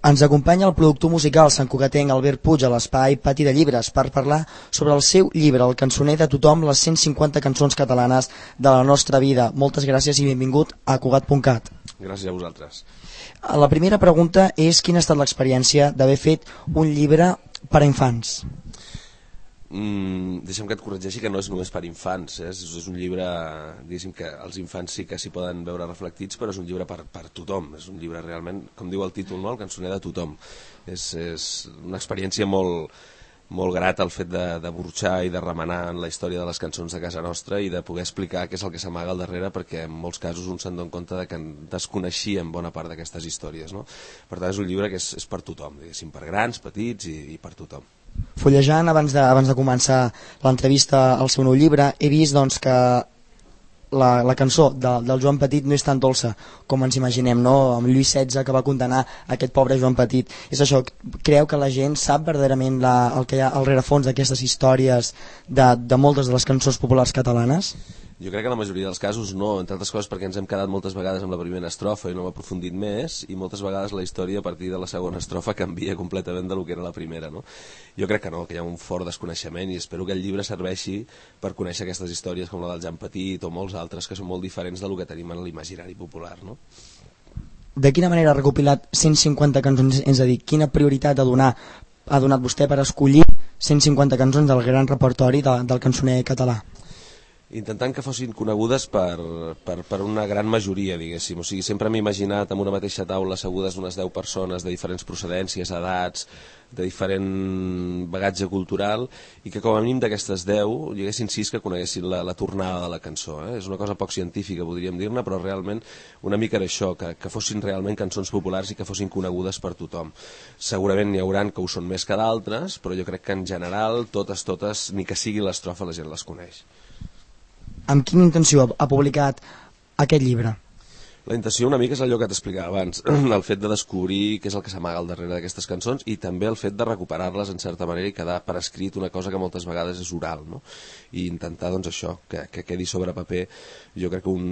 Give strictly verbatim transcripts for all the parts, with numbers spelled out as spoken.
Ens acompanya el productor musical santcugatenc Albert Puig a l'espai Pati de Llibres per parlar sobre el seu llibre, El cançoner de tothom, les cent cinquanta cançons catalanes de la nostra vida. Moltes gràcies i benvingut a Cugat punt cat. Gràcies a vosaltres. La primera pregunta és quina ha estat l'experiència d'haver fet un llibre per a infants? Mm, deixa'm que et corregeixi que no és només per infants, eh? és, és un llibre, diguéssim que els infants sí que s'hi poden veure reflectits, però és un llibre per, per tothom, és un llibre realment, com diu el títol, no? El cançoner de tothom. És, és una experiència molt, molt grata el fet de, de burxar i de remenar en la història de les cançons de casa nostra i de poder explicar què és el que s'amaga al darrere, perquè en molts casos un se'n dona compte de que desconeixíem bona part d'aquestes històries, no? Per tant és un llibre que és, és per tothom, diguéssim, per grans, petits i, i per tothom. Fullejant abans de, abans de començar l'entrevista al seu nou llibre he vist doncs, que la, la cançó de, del Joan Petit no és tan dolça com ens imaginem, no? Amb Lluís setze que va condenar aquest pobre Joan Petit. És això, creu que la gent sap verdaderament la, el que hi ha al rerefons d'aquestes històries de, de moltes de les cançons populars catalanes? Jo crec que en la majoria dels casos no, entre altres coses perquè ens hem quedat moltes vegades amb la primera estrofa i no hem aprofundit més, i moltes vegades la història a partir de la segona estrofa canvia completament del que era la primera, no? Jo crec que no, que hi ha un fort desconeixement i espero que el llibre serveixi per conèixer aquestes històries com la del Jan Petit o molts altres que són molt diferents del que tenim en l'imaginari popular, no? De quina manera ha recopilat cent cinquanta cançons, és a dir, quina prioritat ha, donar, ha donat vostè per escollir cent cinquanta cançons del gran repertori de, del cançoner català? Intentant que fossin conegudes per, per, per una gran majoria, diguéssim. O sigui, sempre m'he imaginat amb una mateixa taula assegudes unes deu persones de diferents procedències, edats, de diferent bagatge cultural, i que com a mínim d'aquestes deu hi haguessin sis que coneguessin la, la tornada de la cançó. Eh? És una cosa poc científica, podríem dir-ne, però realment una mica era això, que, que fossin realment cançons populars i que fossin conegudes per tothom. Segurament n'hi hauran que ho són més que d'altres, però jo crec que en general, totes, totes, ni que sigui l'estrofa, la gent les coneix. Amb quina intenció ha publicat aquest llibre? La intenció una mica és allò que t'explicava abans, el fet de descobrir què és el que s'amaga al darrere d'aquestes cançons i també el fet de recuperar-les en certa manera i quedar per escrit una cosa que moltes vegades és oral, no? I intentar doncs això, que, que quedi sobre paper, jo crec que un,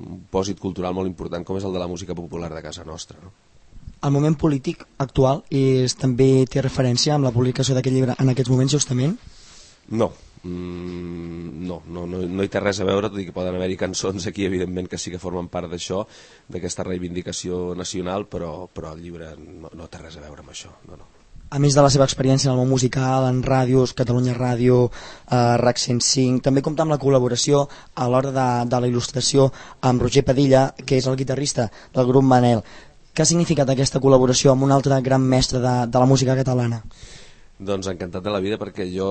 un pòsit cultural molt important com és el de la música popular de casa nostra, no? El moment polític actual és, també té referència amb la publicació d'aquest llibre en aquests moments justament? No. Mm, no, no, no, no hi té res a veure, tot i que poden haver-hi cançons aquí evidentment que sí que formen part d'això, d'aquesta reivindicació nacional, però, però el llibre no, no té res a veure amb això, no, no. A més de la seva experiència en el món musical, en ràdios, Catalunya Ràdio, eh, RAC cent cinc, també compta amb la col·laboració a l'hora de, de la il·lustració amb Roger Padilla, que és el guitarrista del grup Manel. Què ha significat aquesta col·laboració amb un altre gran mestre de, de la música catalana? Doncs encantat de la vida, perquè jo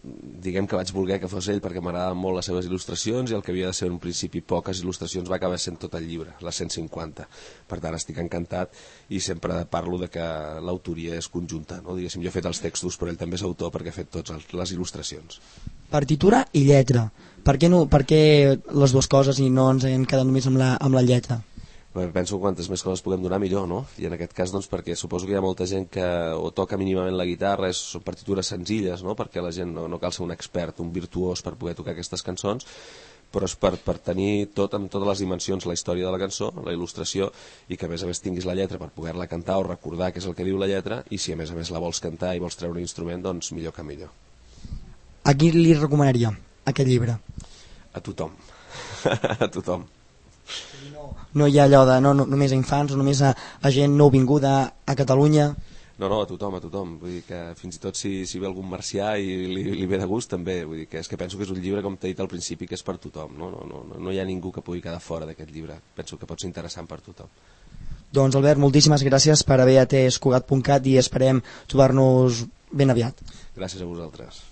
diguem que vaig voler que fos ell perquè m'agradaven molt les seves il·lustracions i el que havia de ser en un principi poques il·lustracions va acabar sent tot el llibre, les cent cinquanta. Per tant estic encantat i sempre parlo de que l'autoria és conjunta, no? Diguéssim, jo he fet els textos però ell també és autor perquè ha fet totes les il·lustracions. Partitura i lletra, per què, no, per què les dues coses i no ens hem quedat només amb la, amb la lletra? Penso que quantes més coses puguem donar millor, no? I en aquest cas doncs perquè suposo que hi ha molta gent que o toca mínimament la guitarra, és, són partitures senzilles, no? Perquè la gent no, no cal ser un expert, un virtuós per poder tocar aquestes cançons, però és per, per tenir tot amb totes les dimensions, la història de la cançó, la il·lustració, i que a més a més tinguis la lletra per poder-la cantar o recordar què és el que diu la lletra, i si a més a més la vols cantar i vols treure un instrument, doncs millor que millor. A qui li recomanaria aquest llibre? A tothom. A tothom. No hi ha allò de no, no, només a infants o només a, a gent nouvinguda a Catalunya? No, no, a tothom, a tothom. Vull dir que fins i tot si, si ve algun marcià i li, li ve de gust també. Vull dir que és que penso que és un llibre, com t'he dit al principi, que és per tothom. No, no, no, no hi ha ningú que pugui quedar fora d'aquest llibre. Penso que pot ser interessant per tothom. Doncs Albert, moltíssimes gràcies per haver atès Cugat punt cat i esperem trobar-nos ben aviat. Gràcies a vosaltres.